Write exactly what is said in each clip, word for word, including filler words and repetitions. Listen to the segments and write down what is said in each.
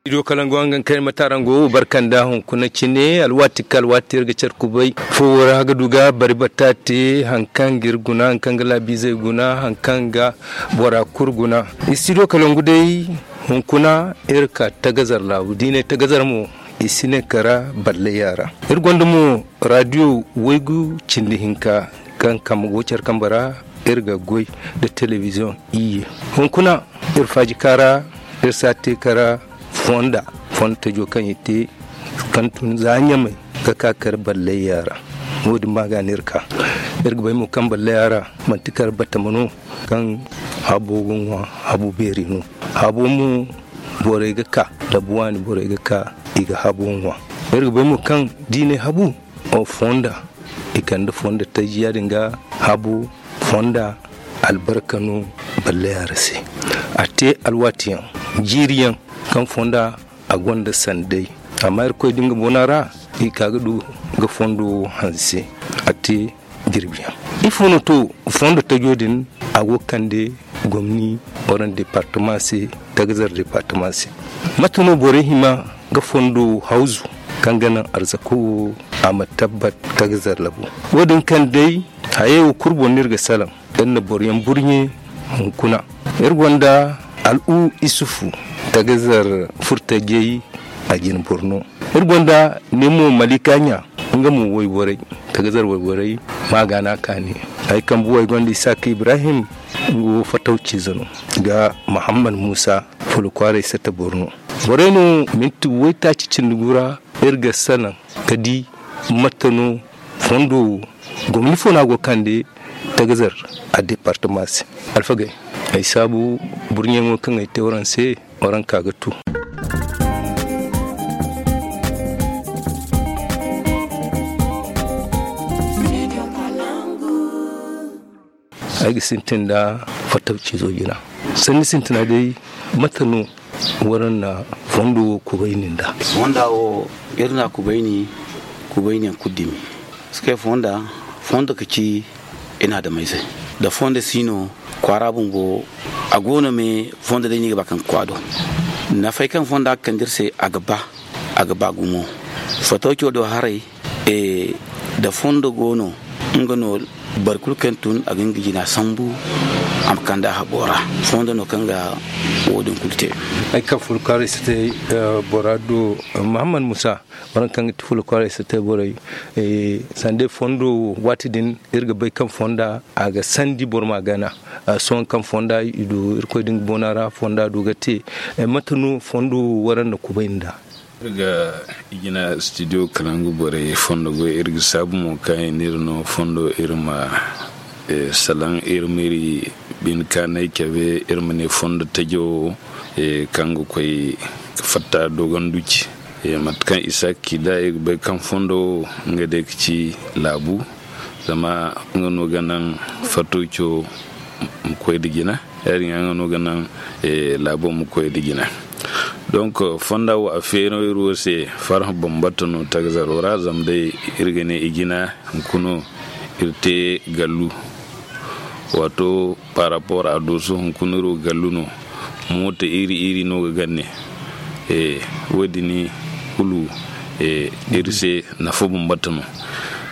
Studio kalangu hangan kaŋ ay ma tarango barka nda hunkuna cine alwaati ka alwaati iri ga care kubay foowo ra ga du ga bari batta te haŋ kaŋ ga iri guna haŋ kaŋ ga laabiizey guna haŋ kaŋ ga bora kulu guna. Studio kalangu day hunkuna iri ka tagazar laabu da i ne tagazar mo i si ne kara ballayya ra. Iri gonda mo raadiyo waygu cindi hinka kaŋ kambe go care kambe ra. Iri ga goy nda telebiziyoŋ iyye hunkuna iri faaji ka ra iri si a te kara fonda fonda tajo kaŋ i te kaŋ tun za ɲamay ga ka kar ballayya ra. Wo- din ma ga no iri ka iri ga bay mo kaŋ ballayya ra manti kar batama no kaŋ habo ga ŋwa. Habo beeri no habo mo borey ga ka labu waani borey ga ka i ga habo ŋwa. Iri ga bay mo kaŋ da i ne habu fonda i kande fonda taji ya- din ga habu fonda albarka no ballayya ra se. A te alwaati yaŋ jiiri yaŋ kaŋ fonda a gonda sanday amma irkoy da nga bona ra i ka ga du ga fondo hanse. A te jirbi yaŋ ifo no to fondo tajo din a go ga kande gomni waraŋ departama se tagazar departama se. Mate no borey hima ga fondo hawzu kaŋ ga naŋ arzako wo a ma tabbat tagazar labo wo- din kaŋ day hayey wo kulu boŋ no iri ga salaŋ iri na boro yaŋ burɲe hunkuna. Iri gonda al'u isufu tagazar furtajey a jine boro no. Iri gonda ne mo malika ɲa nga mo wayborey tagazar wayborey ma ga no a kaani. Ay kambe wo ay gonda isaaka ibrahim nga wo fatawciize no ga muhammad muusa fula kwaaray sata boro no. Borey no minti waytaaci cindi gu ra iri ga salaŋ ga di mate no fondo wo gomni fo no a go ga kande tagazar a departama se. Alfagey ay saabu burɲeyaŋo kaŋ ay te waraŋ se waraŋ ka ga tu. Ay ga sintin nda fattaw ciizo jina sanni sintina day mate no waraŋ na fondo wo kubayni nda? Fonda wo iri na kubayni kubayni yaŋ kulu dumi parce que fonda fondo ka ci i na adamayze da fondo si no kwaara bumbo a go no me fondo day no i ga ba kaŋ ga kwa do. Nafay kaŋ fonda ga kande iri se a ga ba a ga ba gumo. Fattaw co do haray da fondo go no nga no boro kulu kaŋ tun a ga nga jina sambu a ma kande a habo ra. Fondo no kaŋ ga wo- din kulu te. Ay kaŋ furo kwaaray si te bora do muhammad musa boro kaŋ ga ti furo kwaaray si te borey sanda fondo wo waati din iri ga bay kaŋ fonda a ga sandi boro ma gana. Sohõ kaŋ fonda i du irkoy din ga boona ra fonda du ga te mate no fondo wo waraŋ na kubay nda? Iri ga i jina studio kalangu borey fondo goy iri ga saabu mo kaŋ i n'iri no fondo iri ma salaŋ iri m'iri bine kaanay cabe iri ma ne fondo tajo wo kaŋ ga koy ga fatta dogonduci. Mate kaŋ isaaki ci nd'a iri ga bay kaŋ fondo wo nga day ga ci laabu zama nga no ga naŋ fatto co ma koy nda jina. Ya- din ga nga no ga naŋ laabo ma koy nda jina. Donc fonda wo a feeri no iri wo se farhã bambata no tagazaro ra zama day iri ga ne i jina hunkuna iri te gallu. Waato par rapport a dooso hunkuna iri wo gallu no. Moota iri iri no ga ganne. Wo- din kulu iri se nafa bambata no.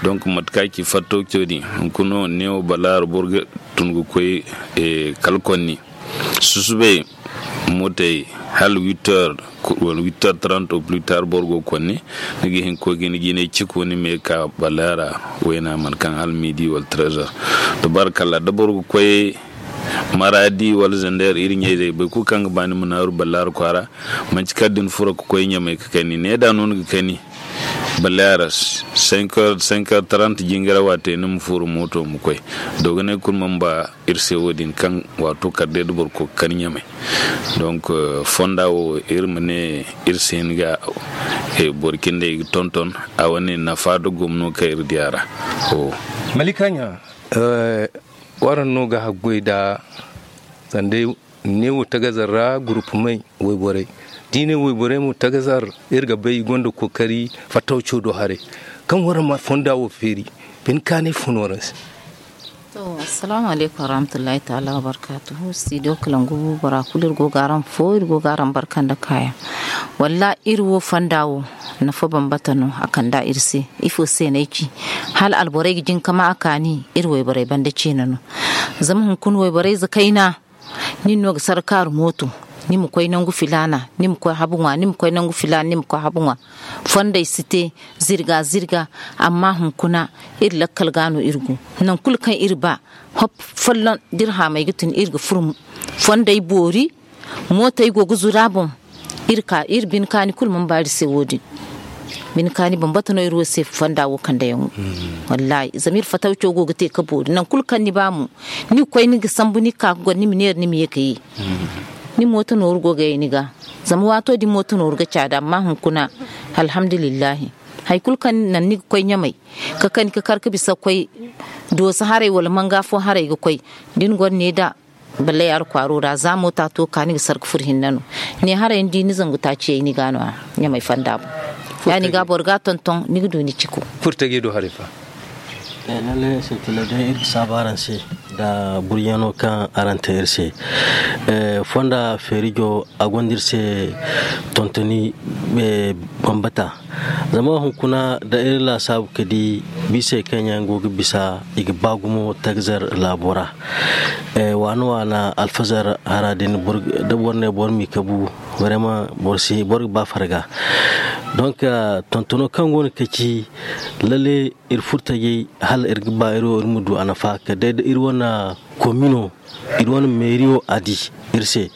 Donc mate kaŋ a ci fatto co din hunkuna neewo balaaro boro ga tun ga koy kala konni susubay mootey hala huit heures wala huit heures trente au plus tard boro go ga konni ni ga hin ga koy ga ni jinay ciko ni ma ye ga ka balaara wayna mana kaŋ hala midi wala treize heures. Tabarakalla da boro ga koy maradi wala zander iri ɲayzey boro kulu kaŋ ga ba ni ma naaru balaara kwaara manci kala da ni furo ga koy ɲamay ga kani ne da no ni ga kani. Balaara cinq heures cinq heures trente jingara waate ni ma furo mooto ma koy dogonay kulu mana ba iri se wo- din kaŋ waato kala day da boro koy ga kani ɲamay. Donc fonda wo iri ma ne iri si hin ga boro cindey ga tonton a wane nafa da gomno kaŋ iri di a ra. Malika ɲa waraŋ no ga haggoy nda sanda neewo tagazar ra gurupumey wayborey da i ne wayborey mo tagazar iri ga bay i gonda kookari fattaw co do haray kaŋ waraŋ ma fonda wo feeri bine kaanay fun waraŋ se. Assalaamu alaykum warahmatullahi taala wabarkaatu. Studio kalangu bora kulu iri go ga araŋ fo iri go ga araŋ barka nda kaayaŋ. Wallaahi iri wo fonda wo nafa bambata no a kand'a iri se. Ifo se no ay ci? Hala alborey ga jin ka ma a kaani iri wayborey banda ceena no. Zama hunkuna wayborey za kayna nin no ga sarkaaru mooto, ni ma koy nangu filaana, ni ma koy habu ŋwa ni ma koy nangu filaana ni ma koy habu ŋwa. Fondey si te zirga zirga. Amma hunkuna iri lakkal ga no iri go. Nangu kulu kaŋ iri ba hop folloŋ dirhamey ga tun iri ga furo. Fondey boori mootey go ga zuru a boŋ. Iri ka iri bine kaani kulu mana ba iri se wo- din. Bine kaani bambata no iri wo se fonda wo kande yaŋo. Wallaahi zama iri fatawco go ga te ka boori nangu kulu kaŋ ni ba mo, ni ga koy ni ga sambu ni ga ka ga goro ni ma neera ni ma ye ka ye. Ni mooto nooru go ga ye ni ga. Zama waato din mooto nooru ga caadi amma hunkuna alhamdulillahi. Hari kulu kaŋ naŋ ni ga koy ɲamay ka kani ka kar ka bisa ga koy dooso haray wala manga fo haray ga koy. Da ni goro ne da ballay alkwaaro ra za moota to ga ka ni ga sarka furo hinne no. Ne haray ni di ni zangu taaciyey ni ga no- ya ɲamay fonda boŋ. Ya- din ga boro ga a tonton ni ga du ni ciko. Furtaji do haray fa? Lallay sintina day iri ga saabu araŋ se nda buryaŋo kaŋ araŋ te iri se. Fonda feerijo a gonda iri se tontoni bambata. Zama hunkuna da iri laasaabu ka di biisey kaŋ yaŋ go ga bisa i ga ba gumo tagzar laabo ra. Waana waana alfazar hara din da boro ne boro m'i kabu, boro ga ba farga. Donk tontono kaŋ go no ka ci lalle iri furtajey hala iri ga ba iri wo iri ma du a nafa kala day da iri wane komino iri wane meeriyo a di iri se.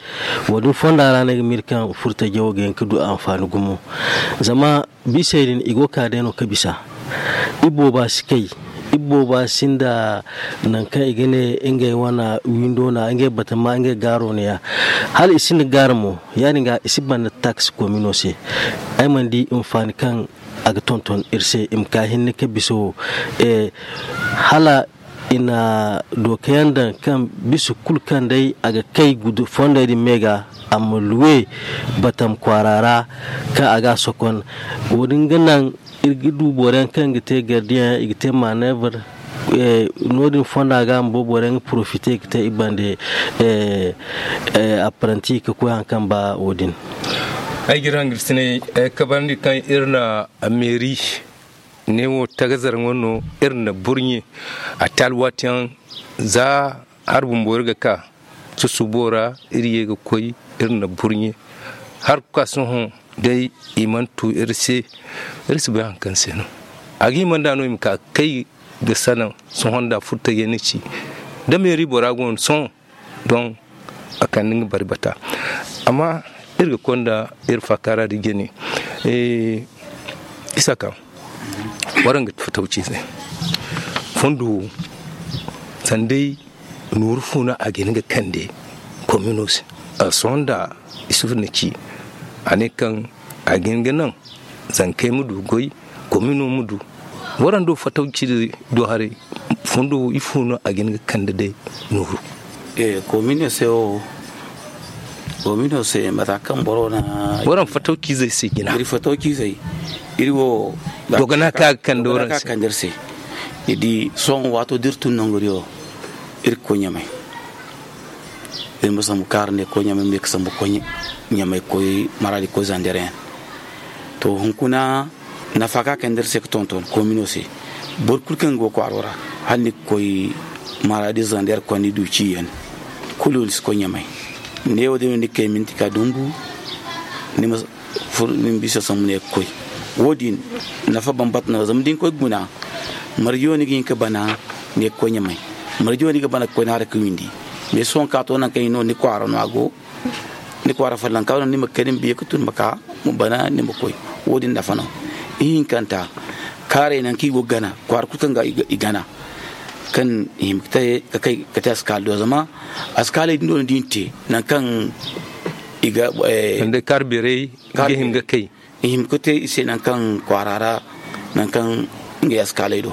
Wo- din fonda ra no ay ga miiri kaŋ furtajey wo ga hin ka du anfaani gumo. Zama biisey din i go ga ka day no ga bisa. Iri booba si kay. Iri booba sinda nangu kaŋ i ga ne ngey wane windo no- ya ngey batama ngey gaaro no- ya. Hala i sinda gaara mo ya- din ga i si banda taksi komino se. Ay mana di anfaani kaŋ a ga tonton iri se i ma ka hinne ka bisa wo. Hala i na dookayaŋ daŋ kaŋ bisa kulu kaŋ day a ga kay gudu fondey din me ga a ma luwe batam kwaara ra kaŋ a ga a sokon. Wo- din ga naŋ iri ga du boro yaŋ kaŋ ga te gardiyaŋ i ga te maneebar. No- din fonda ga a ma bo boro yaŋ ga porofite ga te i bande apparanti ka koy hari kaŋ ba wo- din. Ay ga iri hangasine kabarandi kaŋ iri na meeri ne wo tagazar ŋo no iri na burɲe a te alwaatiyaŋ za hari bumbo iri ga ka susubo ra iri ye ga koy iri na burɲe. Hari ga ka sohõ day i mana tu iri se. Iri si bay hari kaŋ se no a ga hima nd'a no i ma ka ga kay ga sanaŋ sohõ nda furtajey na ci da meeri bora go no sohõ. Don a kande nga bari bata. Amma iri ga konda iri faakaara da jine. Isa ka waraŋ ga fatawci se fondo wo sanda ay nooru fo no a ga hin ga kande komino se. Sohõ nda isufu na ci a ne kaŋ a ga hin ga naŋ zankey ma du goy komino ma du. Waraŋ do fatawci do haray fondo wo ifo no a ga hin ga kande day nooru? Komino se wo komino se mata kaŋ boro na waraŋ fatawcizey se jina iri fatawcizey iri wo dogana ka ga kande waraŋ se. Ni di sohõ waato da iri tun nangu diyo iri ga koy ɲamay. Iri ma sambu kaara ne koy ɲamay ma ye ga sambu koy ɲamay koy maraadi koy zandeer yaŋ. To hunkuna nafa kaŋ a kande iri se ga tonton komino se boro kulu kaŋ ga go kwaaro ra hala ni ga koy maraadi zandeer koy ni du ciyaŋ kulu ni si koy ɲamay. Neewo day no ni ga kay minti ka dumbu ni ma furo ni ma bisa sambu ne ga koy. Wo- din nafa bambata no zama da ni koy ga guna marje wo ni ga hin ga bana ne ga koy ɲamay. Marje wo ni ga bana ga koy ni haray ga windi. Mais sohõ ka to nangu kaŋ i no ni kwaara no a go ni kwaara follanka no ni ma kay ni ma biya ga tun ma ka ma bana ni ma koy. Wo- din nafa no ihinkanta kaaray nangu kaŋ i go ga gana kwaara kulu kaŋ ga i gana kaŋ i hima ga te askaala do zama askaaley din do no da i na te nangu kaŋ i ga kaara beerey ga hin ga kay i hima ga te i se nangu kaŋ kwaara ra nangu kaŋ ngey askaaley do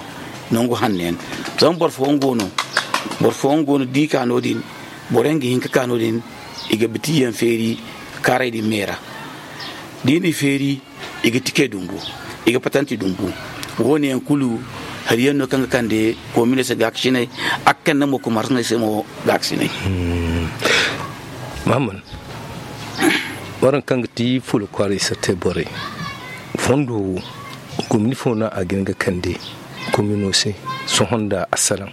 nangu hanno yaŋ. Zama boro fooyaŋ go no boro fooyaŋ go no da i ka no- din boro yaŋ ga hin ga ka no- din i ga biti yaŋ feeri kaaray din me ra da i n'i feeri i ga tikey dumbu i ga patanti dumbu. Wo- ne yaŋ kulu hari yaŋ no kaŋ ga kande koomino se gaakasinay. A ga kande mo kumarsanay se mo gaakasinay. Mahamman, waraŋ kaŋ ga ti fuula kwaaray sattey borey, fondo wo gomni fo no a ga hin ga kande koomino se? Sohõ nda a salaŋ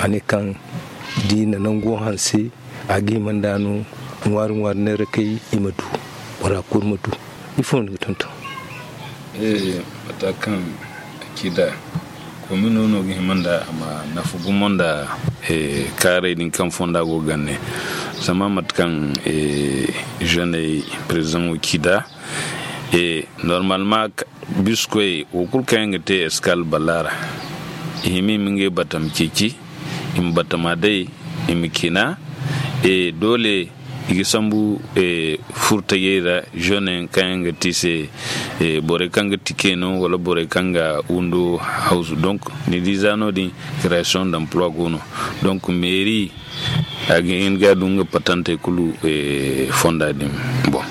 a ne kaŋ da i na nango hanse a ga hima nda no ŋwaari ŋwaari neera kay i ma du, bora kulu ma du. Ifo no ni ga tonton? Mata kaŋ a ci da koomino no ga hima nda a ma nafa gumo nda kaarey din kaŋ fonda go ga gande. Zama mate kaŋ zeeney perezidaŋo ci da, normalement biskoy wo kulu kaŋ yaŋ ga te eskal balla ra, i hima i ma ngey batama ceeci, i ma batama day, i ma cina. Doole i ga sambu furtajey ra, zeeney kaŋ yaŋ ga ti se borey kaŋ ga tike no wala borey kaŋ ga windo hawzu. Donc ni di za no- din, création d'emploi go no. Donc meeri a ga hin ga du nga patantey kulu fonda din. Bon,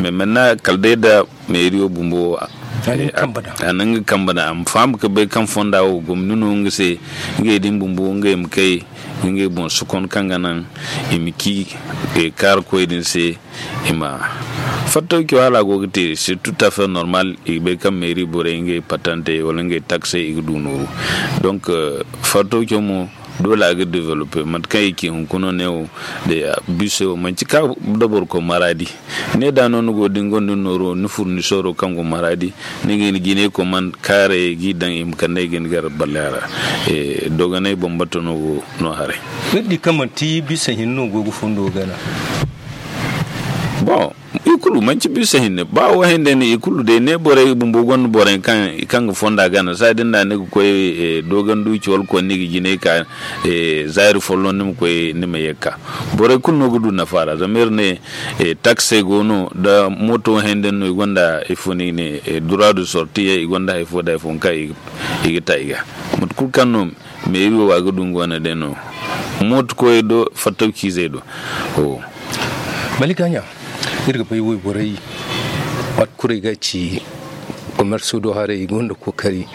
mais maintenant kala day da meeriyo bumbo a na nga kamba da a ma faham ga bay kaŋ fonda wo gomni no nga se. Ngey din bumbo ngey ma kay ngey boŋ sokon kaŋ ga naŋ i ma ci kaarikoy din se. I ma fattawco hala a go ga te c'est tout à fait normal. I ga bay kaŋ meeri borey ngey patantey wala ngey taksey i ga du nooru. Donc fattawco mo doole a ga développer mate kaŋ i ci hunkuna ne wo. Day a biso wo manci ka da boro koy maraadi ne da no ni go da ni gonda ni nooro ni furnisoro kaŋ go maraadi ni ga hin ga i ne koy man kaarey ga i daŋ i ma kande i ga ni gar balla ra. Dogonay bambata no go no haray. Ni di kaŋ manti bisa hinne no go ga fondo gana. Bon, i kulu manci bisa hinne ba wo hinne no i kulu day ne borey bumbo gonda borey kaŋ ga fonda gana saa din da ni ga koy dogon duuci wala koy ni ga jinay ka zaari folloŋ ni ma koy ni ma ye ga ka. Borey kulu no ga du nafa ra zama iri ne taksey go no da mooto hinne no i gonda ifo no i ga ne droit de sortie yaŋ i gonda hari fo da hari fo kaŋ i ga ta i ga mate kulu kaŋ no meeri wo a ga du nga wane day no. Mooto koy do fattaw ciizey do. Mali gaaɲa iri ga bay wayborey waati kulu ay ga ci komerso do haray i gonda kookari.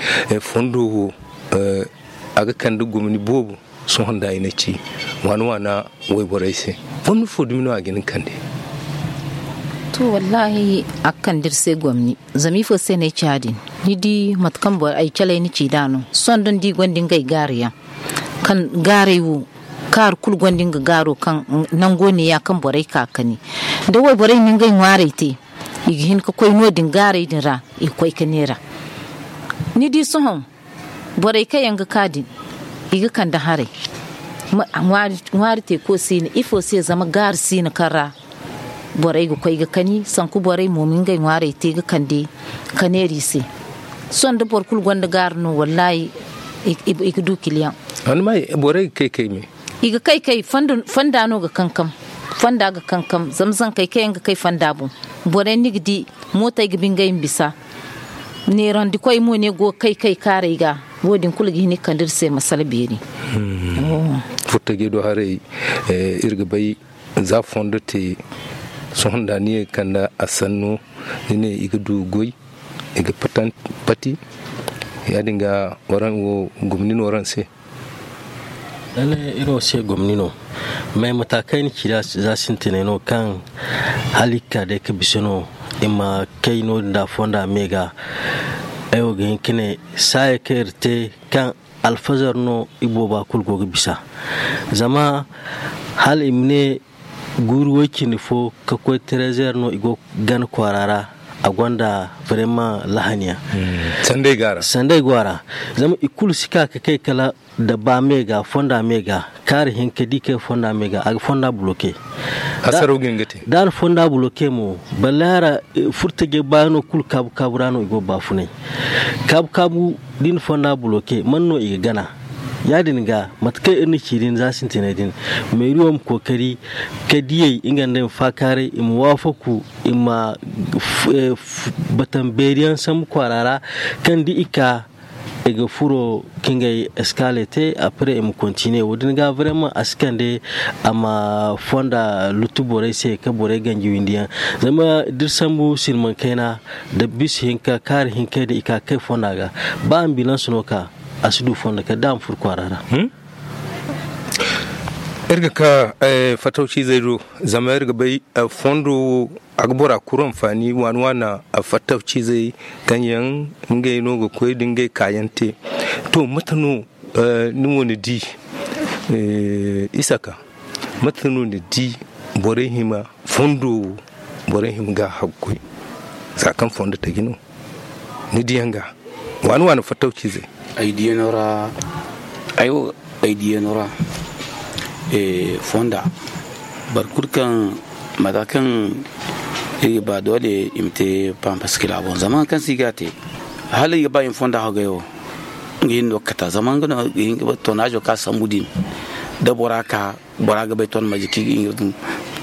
Fondo wo a ga kande gomni boobo. Sohõ nda ay na ci waana waana wayborey se gomni fo dumi no a ga hin ga kande? To wallaahi a ga kande iri se gomni. Zama ifo se no ay ci ya- din? Ni di mate kaŋ ay calay na ci nd'a no sohõ da ni di i gonda ngey gaari yaŋ kaŋ gaaray wo kaari kulu gonda nga gaaro kaŋ nango neeya kaŋ borey ka ga kani. Da wayborey na ngey ŋwaarey te i ga hin ga koy no- din gaaray din ra i ga koy ga neera. Ni di sohõ borey kaŋ yaŋ ga ka din i ga kande haray. Ŋwaari teeko si no ifo se zama gaari si no kaŋ ra borey ga koy ga kani sanku borey mo ma ngey ŋwaarey te ga kande ga neera i se. Sohõ da boro kulu gonda gaari no wallaahi i ga du kiliyaŋ. Borey ga kay kay me i ga kay kay fonda no ga kankam. Fonda ga kankam zama zankey kaŋ yaŋ ga kay fonda boŋ borey ni ga di mootey ga bi ngey ma bisa. Neerandikoy mo ne go ga kay kay kaarey ga wo- din kulu ga hin ga kande iri se masala beeri. Furtajey do haray iri ga bay za fondo te sohõ nda ni ye ga kande a sanno ni ne i ga du goy i ga pati ya- din ga waraŋ wo gomni no waraŋ se. Lalle iri wo se gomni no mais mata kaŋ ay na ci nd'a za sintinay no kaŋ hala i ga ka day ga bisa no i ma kay no- din nda fonda me ga. Ay wo ga hin ga ne saaya kaŋ iri te kaŋ alfazar no ibooba kulu go ga bisa. Zama hala i ma ne guuru way- cindi fo ga koy trezer no i go ga gana kwaara ra. A gonda vraiment lahaniya. Sanda ay go a ra zama i kulu si ka ga kay kala da ba me ga fonda me ga kaari hinka da i kay fonda me ga a ga fonda buloke. Da a na fonda buloke mo balle hara furtajey baayano kulu kaabu kaabu ra no i go ga baafunay. Kaabu kaabu da i na fonda buloke man no i ga gana? Ya- din ga mate kaŋ iri na ci din za sintinay din meeriyo ma kookari ka diyey nga nda ay ma faakaaray i ma waafaku i ma batan beeri yaŋ sambu kwaara ra kaŋ da i ka i ga furo ka ngey eskale te. Après i ma kontine wo- din ga vraiment a si kande a ma fonda lutu borey se ka borey ganji windi yaŋ. Zama da iri sambu silmaŋ kayna da bis hinka kaari hinkey din i ka ga kay fonda ga ba ambilanse no ka a si du fondo kala da a ma furo kwaara ra. Iri ga ka fattawciizey do, zama iri ga bay fondo wo a ga bora kulu anfaani waani waani. Fattawciizey kaŋ yaŋ ngey no ga koy da ngey kaayaŋ te. To, mate no ni wo ni di? Isaka, mate no ni di borey hima fondo wo, borey hima ga haggoy za kaŋ fondo taji no? Ni diyaŋ ga waani waani fattawciizey. Ay diyaŋo ra ay wo ay diyaŋo ra fonda boro kulu kaŋ mata kaŋ iri ga ba doole i ma te pampaskila boŋ zama kaŋ se i ga a te hala i ga ba i ma fonda haggoy wo. Nga hinne no ga kata zama nga no ga hin ga ba toonaajo ka sambu din da bora ka bora ga bay ton maji ki.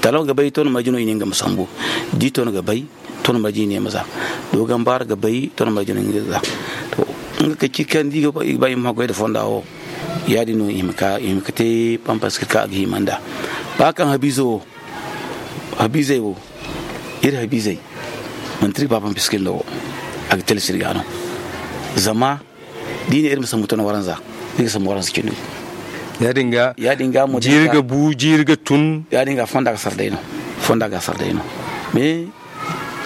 Talo ga bay ton maji no i ne nga ma sambu di ton ga bay ton maji ne ma za. Dogon bara ga bay ton maji no nga za. To nga ka ci kan di ga bay ma goy da fonda wo. Ya din no i ma ka i ma ka te pampas ka ga himanda ba kan habizo wo. Habizai wo iri habizai mantir ba pampas kin da wo. A ga tele sirga no zama di ne iri ma sambu ton waranza. Iri ga sambu waranza cindi. Ya din ga ya din ga mo jiiri ga bu jiiri ga tun. Ya din ga fonda ga sardai no fonda ga sardai no. Me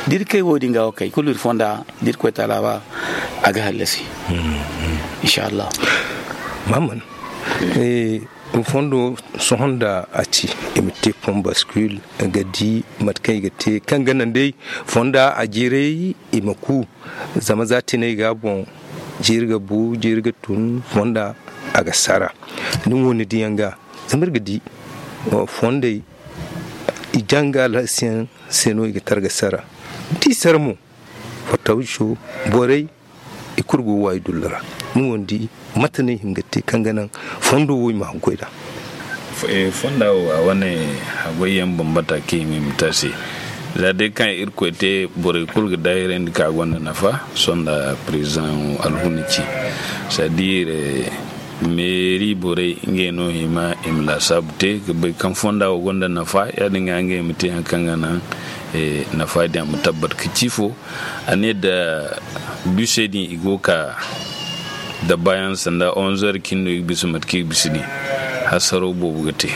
diri kai wo din ga wo kai kulu iri fonda diri koy tala ba a ga hallasi. Inshallah. Mamman fondo sohon da a ci i ma te pon baskul ga di mate kaŋ i ga te kaŋ ga naŋ day fonda a jiiray i ma ku. Zama za tinay ga boŋ jiiri ga bu jiiri ga tun fonda a ga sara. Ni wo ni diyaŋ ga zama iri ga di fondey i janga alhasiyaŋ se no i ga targa sara. Di sara mo fattawco borey i kulu go waayi dullu ra. Ni wo ni di mate no i hin ga te kaŋ ga naŋ fondo wo i ma haggoy da? Fonda wo a wane haggoy yaŋ bambata kaŋ i ma i ma te a se. Za day kaŋ irkoy te borey kulu ga daahirandi kaŋ a gonda nafa sonda president alhuna ci. Sadiire meeri borey ngey no hima i ma laasaabu te ga bay kaŋ fonda wo gonda nafa ya- din ga ngey ma te hari kaŋ ga naŋ nafa din a ma tabbat ga ci fo. A ne da bisey din i go ga ka da baayaŋ sanda onze heures cin no i ga bisa mate kaŋ i ga bisa din. Hasaro boobo ga te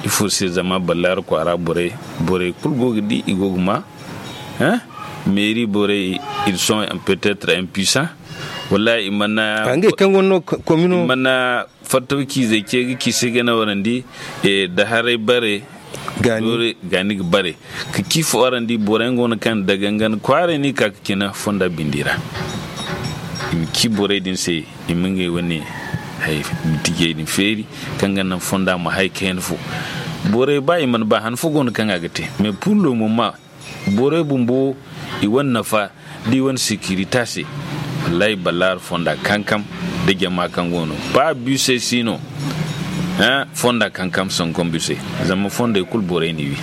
ifo se zama ballaari kwaara borey borey kulu go ga di i go ga ma. Meeri borey ils sont peut-être impuissants. Wallahi i mana ngey kaŋ go no komino i mana fattaw ciizey ce ga ci se ga nawarandi da haray bare. Gaani ga bare ka ci fo araŋ di borey go no kaŋ dagangan kwaaray no i ka ga cina fonda bindi ra. I ma ci borey din se i ma ngey wane hay bitijey din feeri kaŋ ga naŋ fonda ma hay kayna fo. Borey ba i mana ba han fo go no kaŋ a ga te mais pour le moment borey bumbo i wane nafa da i wane securité se. Wallahi balaar fonda kankam da jama kaŋ go no ba bisey si no. Fonda kankam sankom bisey zama fondey kulu borey n'i wi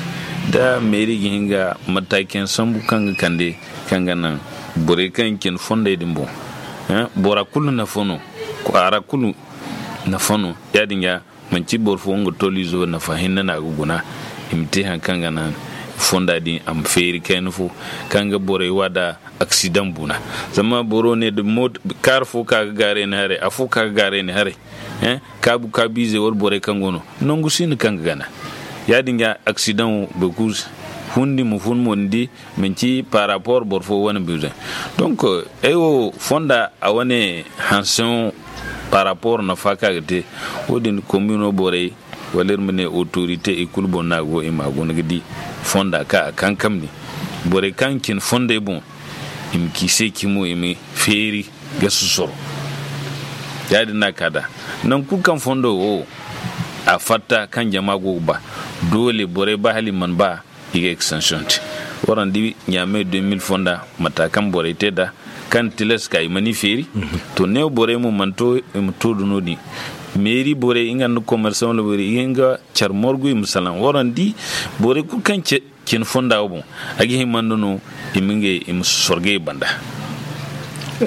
da meeri ga hin ga mataakiyaŋ sambu kaŋ ga kande kaŋ ga naŋ borey kaŋ ga cine fondey din boŋ. Bora kulu nafa no kwaara kulu nafa no. Ya- din ga manci boro fo nga tolizo nafa hinne no a ga guna. I ma te hari kaŋ ga naŋ fonda din a ma feeri kayna fo kaŋ ga borey wa da aksidaŋ buna. Zama boro ne da kaaru fo ka ga gaaray ni haray afo ka ga gaaray ni haray. Kaabu kaabiizey wala borey kaŋ go no nangu si no kaŋ ga gana. Ya- din ga aksidaŋ wo boro kulu hundi ma fun mo ni di manci par rapport boro fo wane besoin. Donc ay wo fonda a wane hanseŋo par rapport nafa kaŋ a ga te. Wo- din komino borey wala iri ma ne autorité i kulu boŋ no a go i ma a guna ga di fonda kaŋ a kankam din. Borey kaŋ ga cine fondey boŋ i ma ci se cimo i ma feeri ga susoro. Ya- din no a ka da nangu kulu kaŋ fondo wo a fatta kaŋ jama go ga ba doole borey ba hala i mana ba i ga extension te. Waraŋ di ɲaamey deux mille fonda mata kaŋ borey te nd'a kaŋ tilas ka i mana i feeri. To neewo borey mo mana to i ma to da no- din meeri borey nga nda commerçant wala borey i ga hin ga care morgu i ma salaŋ waraŋ di borey kulu kaŋ cine fonda wo boŋ a ga hima nda no i ma ngey i ma sorgay banda.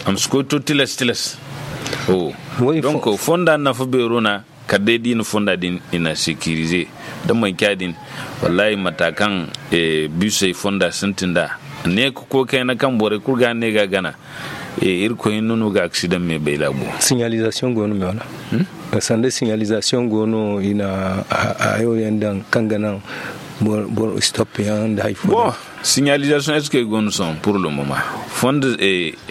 A ma si koy to tilas tilas. Donc fonda nafa beero na kala day da i na fonda din i na sécuriser. Da manci a din wallahi mata kaŋ bisey fonda sintin nd'a ne ka koy kayna kaŋ borey kulu ga ne ga gana. Irkoy hinne no ga aksidaŋ me bay laabo. Signalisation go no me wala? Sanda signalisation go no i na hayo yaŋ daŋ kaŋ ga naŋ boro stop yaŋ nda hari fo. Signalisation est-ce que i go no sohõ pour le moment? Fonda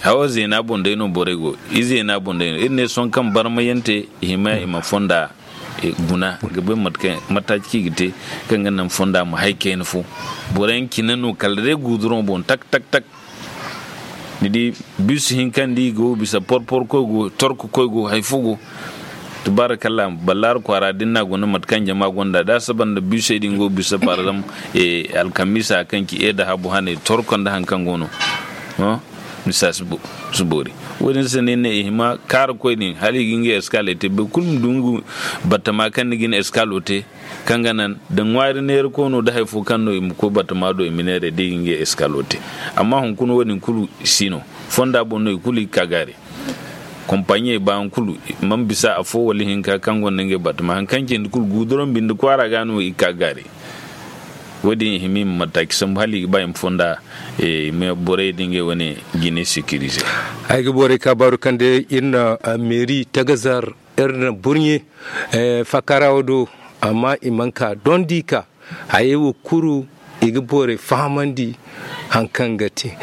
hawo zeena boŋ day no borey go. I zeena boŋ day no iri ne sohõ kaŋ barmayante i hima i ma fonda guna ga bay mataci kaŋ i ga te kaŋ ga naŋ fonda ma hari kayna fo. Boro yaŋ cine no kala day guduroŋ boŋ tak tak tak. Ni di bus hinka nda i go bisa porpor koy go torku koy go hari fo go. Tubaarakalla, ballaari kwaara da ni n'a guna mate kaŋ jama gonda da a saba nda busey din go bisa par exemple alkamiisa kaŋ ci e da habu hane torko nda hari kaŋ go no. Misa si boori. Wo- din se no iri ne i hima kaara koy din hala i ga ngey escale te boro kulu ma du nga batama kaŋ ni ga ni escalo te. Kaŋ ga naŋ da ŋwaari neera koy no da hari fo kaŋ no i ma koy batama do i ma neeray da i ga ngey escalo te. Amma hunkuna wo- din kulu si no. Fonda boŋ no i kulu i ga ka gaari. Kompaɲiyey baayaŋ kulu, man bisa afo wala hinka kaŋ gonda ngey batama hari kaŋ cindi kulu guuduraŋ binde kwaara ga no i ga ka gaari. Wo- din i hima i ma mataaki sambu hala i ga ba i ma fonda i ma borey da ngey wane jine sécuriser. Ay ga borey ka baaru kaŋ day iri na meeri tagazar iri na burɲe fakara wo do. Amma i mana ka dondi ka hayey wo kulu i ga borey fahamandi hari kaŋ ga te.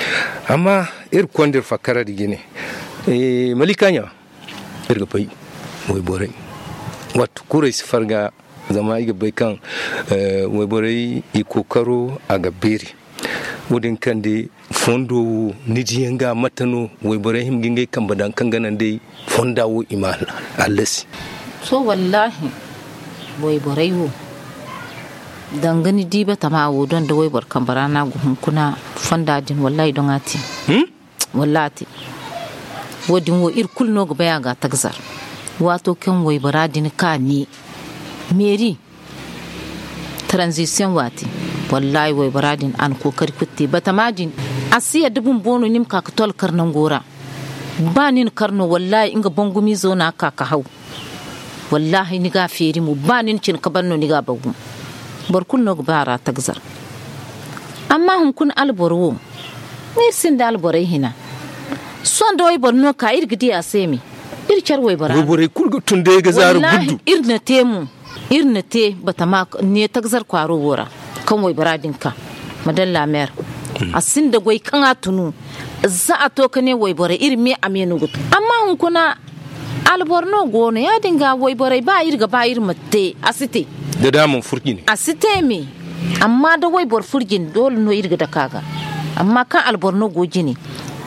Amma iri konda iri fakara da jine malika ɲa iri ga bay wayborey wattu kulu ay si farga. Zama ay ga bay kaŋ wayborey i kookaro a ga beeri. Wo- din kaŋ day fondo wo ni diyaŋ ga mate no wayborey hima ga ngey kambe daŋ kaŋ ga naŋ day fonda wo i ma hallasi. To wallaahi wayborey wo danga ni di batama wo doŋ da wayboro kambe ra no a ga hunkuna fonda din wallaahi doŋ a te. Wallaahi a te. Wo- din wo iri kulu no ga bay a ga a tagazar. Waato kaŋ waybora din ka ne meeri transition waati. Wallaahi waybora din a na kookari kulu te batama din a si yadda bumbo no ni ma ka ga tolkar nango ra. Ba ni na kar no wallaahi nga bangumiizo no a ga ka ga haw. Wallaahi ni ga a feeri mo ba ni na cine ka ban no ni ga a bagu. Boro kulu no ga ba a ra tagazar. Amma hunkuna alboro wo iri sinda alborey hina. Sohõ da wayboro no ka iri ga di a se me. Iri care waybora no. Wayborey kulu ga tun day ga zaara guddu. Iri na te mo. Iri na te batama ne tagazar kwaaro wo ra kaŋ waybora din ka madalla meer. A sinda goy kaŋ a tunu za a to ka ne wayborey iri me a me no ga tun amma hunkuna alboro no go no ya- din ga wayborey ba iri ga ba iri ma te a si te. Da da a mana fur jine a si te me. Amma da wayboro fur jine doole no iri ga dake a ga. Amma kaŋ alboro no go jine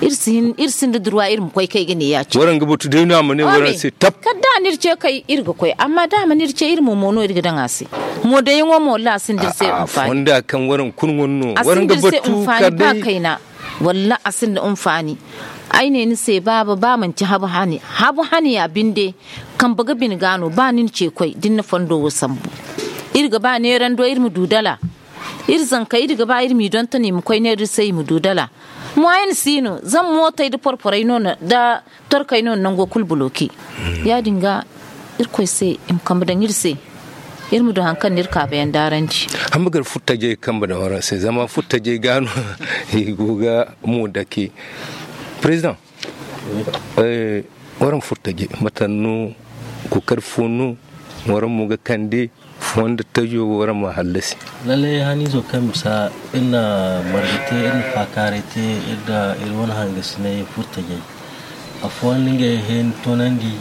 iri sinda durwa iri ma koy kay ga ne ya- cine waraŋ ga batu day no a ma ne waraŋ se tab. Kala da a na iri ce kay iri ga koy amma da a mana iri ce iri mo mo no iri ga daŋ a se. Mo dayaŋo mo wallaahi a sinda iri se hinfaani. Fonda kaŋ waraŋ kulu wane no waraŋ ga batu kala day. Wallaahi a sinda hinfaani. Ay ne ni se baaba ba manci habu hane habu hane ya binde. Kambe ga bine ga no ba ni na ce koy da ni na fondo wo sambu. Iri ga ba neerando iri ma du dala. Iri zankey iri ga ba iri m'i donton i ma koy neera iri se i ma du dala. Moyen si no zama mootey nda porporey no nda torkey no na nango kulu buloke. Ya- din ga irkoy se i ma kambe daŋ iri se. Iri ma du hari kaŋ no iri kaabayaŋ daarandi. Hamma gar furtajey kambe daŋ waraŋ se zama furtajey ga no i go ga mo dake. Président, waraŋ furtajey mate no kookari fo no waraŋ mo ga kande? Fondo tajo waraŋ ma hallasi. Lallay haniizo kaŋ bisa iri na marga te iri na faakaaray te iri da iri wane hangasinay furtajey. Afooyaŋ no ngey heeni toonandi.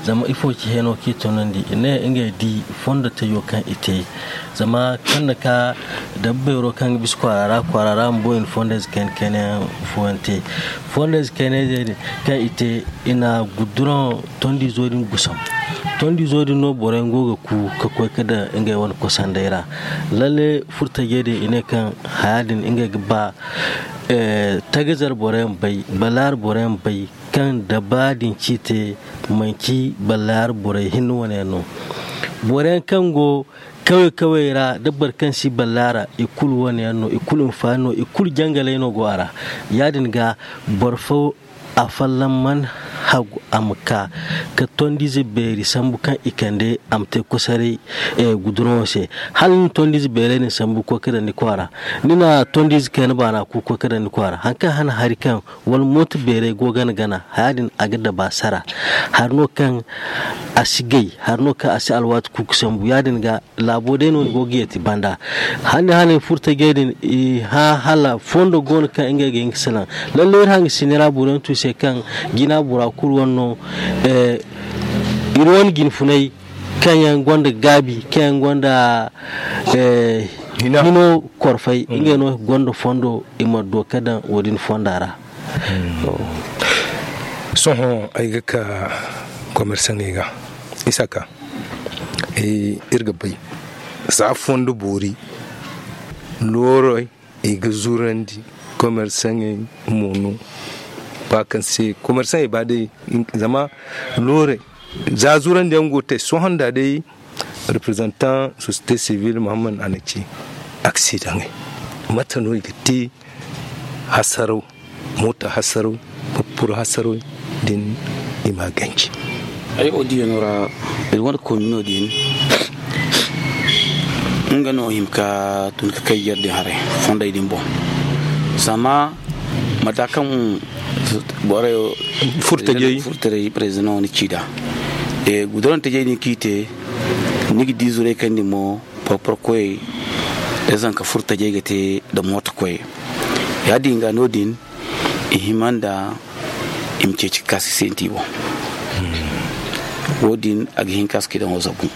Zama ifo ci heeno kaŋ i toonandi i ne ngey di fondo tajo kaŋ i te. Zama kaŋ na ka dabba beero kaŋ ga bisa kwaara ra kwaara ra bumbo i na fondo ize kayna kayna yaŋ fooyaŋ te. Fondo ize kayna ize din kaŋ i te i na guduraŋ tondiizo din gusam. Tondiizo din no boroyaŋ go ga ku ka koy ka daŋ ngey wane kosandey ra. Lalle furtajey din i ne kaŋ haya din ngey ga ba tagazar boroyaŋ bay balaari boroyaŋ bay kaŋ da ba din ci te manci balaari borey hinne wane yaŋ no. Boroyaŋ kaŋ go kawey kawey ra da boro kaŋ si ballaara i kulu wane yaŋ no i kulu hinfaani no i kulu jangaley no go a ra. Ya- din ga boro fo afolloŋ mana hagu a ma ka ka tondiize beeri sambu kaŋ i kande a ma te kosaray guduraŋo se. Hala ni na tondiize beerey din sambu ga koy ka daŋ ni kwaara, ni na tondiize kayna baana ku ga koy ka daŋ ni kwaara, hari kaŋ hana hari kaŋ wala mooto beerey go gana gana, haya din a ga daba sara. Hari no kaŋ a si gay, hari no kaŋ a si alwaati ku ga sambu ya- din ga. Laabo day no ni go ga yeeti banda. Hane hane furtajey din i hã hala fondo go no kaŋ ngey ga hin ga salaŋ. Lalle iri hangasiney ra boro yaŋ tu i se kaŋ jina bora kulu wane no. Iri wane jinfunay kaŋ yaŋ gonda gaabi kaŋ yaŋ gonda hino korfay ngey no gonda fondo i ma do ka daŋ wo- din fonda ra. Sohõ ay ga ka komersaŋey ga isa ka iri ga bay za fondo boori loorey i ga zurandi komersaŋey mo no ba kaŋ se komersaŋey ba day zama loorey za zurandi yaŋ go te sohõ nda day representant société civile muhammad a na ci aksidaŋey mate no i ga te hasaraw moota hasaraw purpura hasaraw din i ma ganji. Ay wo diyano ra iri wane komino din nga no hima ka tun ka kay yar din haray fonday din boŋ zama mata kaŋ borey furtajey president wani ci da gudurante jey din k'i te ni ga di zuray kaŋ din mo porporo koyey da zanka furtajey ga te da mooto koyey ya- din ga no- din i hima nda i ma ceeci ka kaasi senti boŋ wo- din a ga hin ka si kidaŋo zabu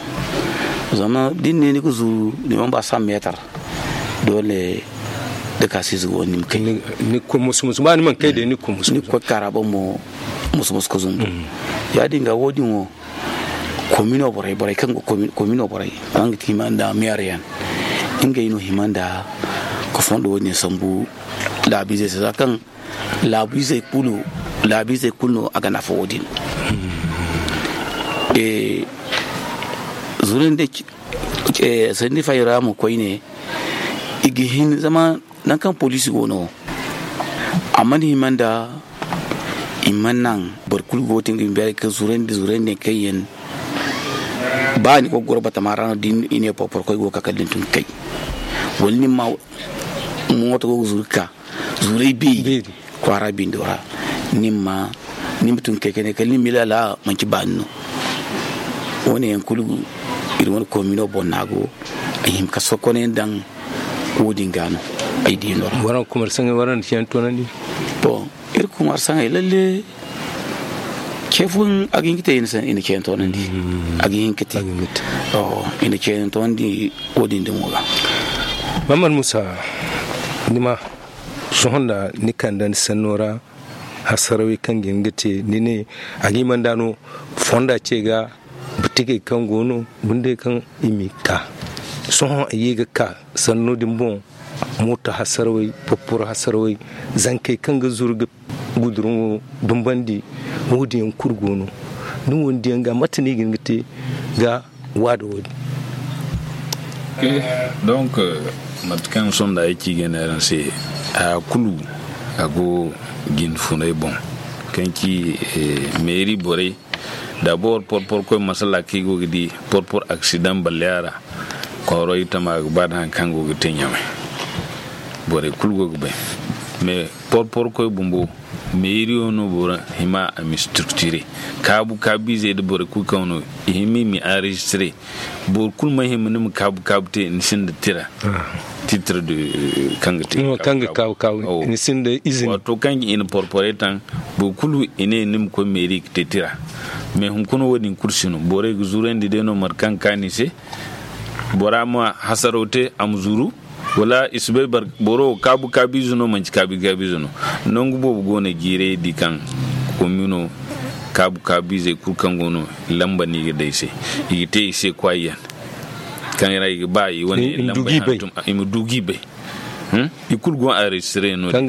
zama da ni ne ni ga zuru ni mana ba san meetar doole da kaasi zugo ni ma kay ni ga koy musu musu ba ni mana kay day ni ga koy musu musu ni ga koy kaara boŋ mo musu musu ka zumbu ya- din ga wo- din wo komino borey borey kaŋ ga komino borey kaŋ ga ti hima nda meereyaŋ ngey no hima nda ka fondo wo- din sambu laabiizey se za kaŋ laabiizey kulu laabiizey kulu no a ga nafa wo- din zurandi sanni fayra mo koyne i ga hin zama nangu kaŋ poliisi go no a mana hima nda i ma naŋ boro kulu go ga te nga binde ka zurandi zurandi kaŋ yaŋ ba ni go ga goro batama ra no da i ne porporo koy go ga ka kala ni tun ga kay wala ni ma mooto go ga zuru ga ka zuray beeri kwaara bindo ra ni ma tun ga kay kala ni ma ilaala manci baani no wo- ne yaŋ kulu iri wane komino boŋ no a go a hima ka sokonay daŋ wo- din ga no ay di no ra waraŋ kumarsaŋey waraŋ na ceene toonandi bon iri kumarsaŋey lalle ce fooyaŋ a ga hin ga te i na ceene toonandi a ga hin ga te i na ceene toonandi wo- din damo ga mammad musa ni ma sohõ nda ni kande ni sanno ra hasarawey kaŋ ga hin ga te ni ne a ga hima nda no fonda ce ga bitigey kaŋ go no bundey kaŋ i m'i ka sohõ ay ye ga ka sanno din boŋ mooto hasarawey porporo hasarawey zankey kaŋ ga zuru ga gudurŋo dumbandi wo- din yaŋ kulu go no ni wo- din yaŋ ga mate no i ga hin ga te ga waada wo- din donc mate kaŋ sohõ nda ay ci ga ne araŋ se haya kulu a go jinfunay boŋ kaŋ ci meeri borey dabor porpor koy masala kaŋ i go ga di porpor aksidaŋ balleya ra kwaaro i tama ga ba da hari kaŋ go ga te ɲamay borey kulu go ga bay mais porpor koy bumbo meeriyo no boro hima a ma structure kaabu kaabu izey da borey kulu kaŋ no i hima i ma enregistre boro kulu ma hima ni ma kaabu kaabu te ni sinda tira titre de kaŋ ga te kaŋ ga kaabu kaabu ni sinda izini waato kaŋ i na porpore taŋ boro kulu i ne ni ma koy meeri ga te tira mais hunkuna wo- din kulu si no borey ga zurandi day no mate kaŋ ga kaanu i se bora ma hasaro te a ma zuru wala i si bay boro kaabu kaabiize no manci kaabi kaabiize no nangu boobo go no jiiray di kaŋ komino kaabu kaabiizey kulu kaŋ go no lamba no i ga day se i ga te i se kwaayi yaŋ kaŋ ra i ga ba i wane lamba i ma du ga i bay i kulu go enregistré no din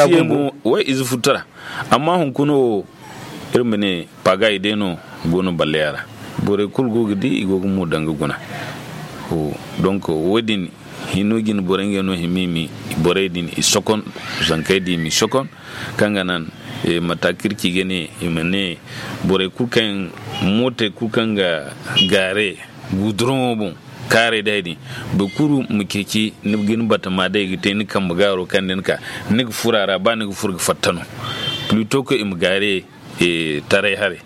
taksiye mo way ize futara amma hunkuna wo iri ma ne pagayi day no go no balleya ra borey kulu go ga di i go ga mo daŋ ga guna donc wo- din hino jine borey ngey no hima i ma borey din i sokon zankey din i ma i sokon kaŋ ga naŋ Mata kaŋ iri ci ga ne i ma ne borey kulu kaŋ mootey kulu kaŋ ga gaare guduroŋo boŋ kaarey day din boro kulu ma ceeci ni ga ni batama day ga te ni kambe gaaro kaŋ da ni ka ni ga furo a ra ba ni ga furo ga fatta no plutôt que i ma gaare taray haray.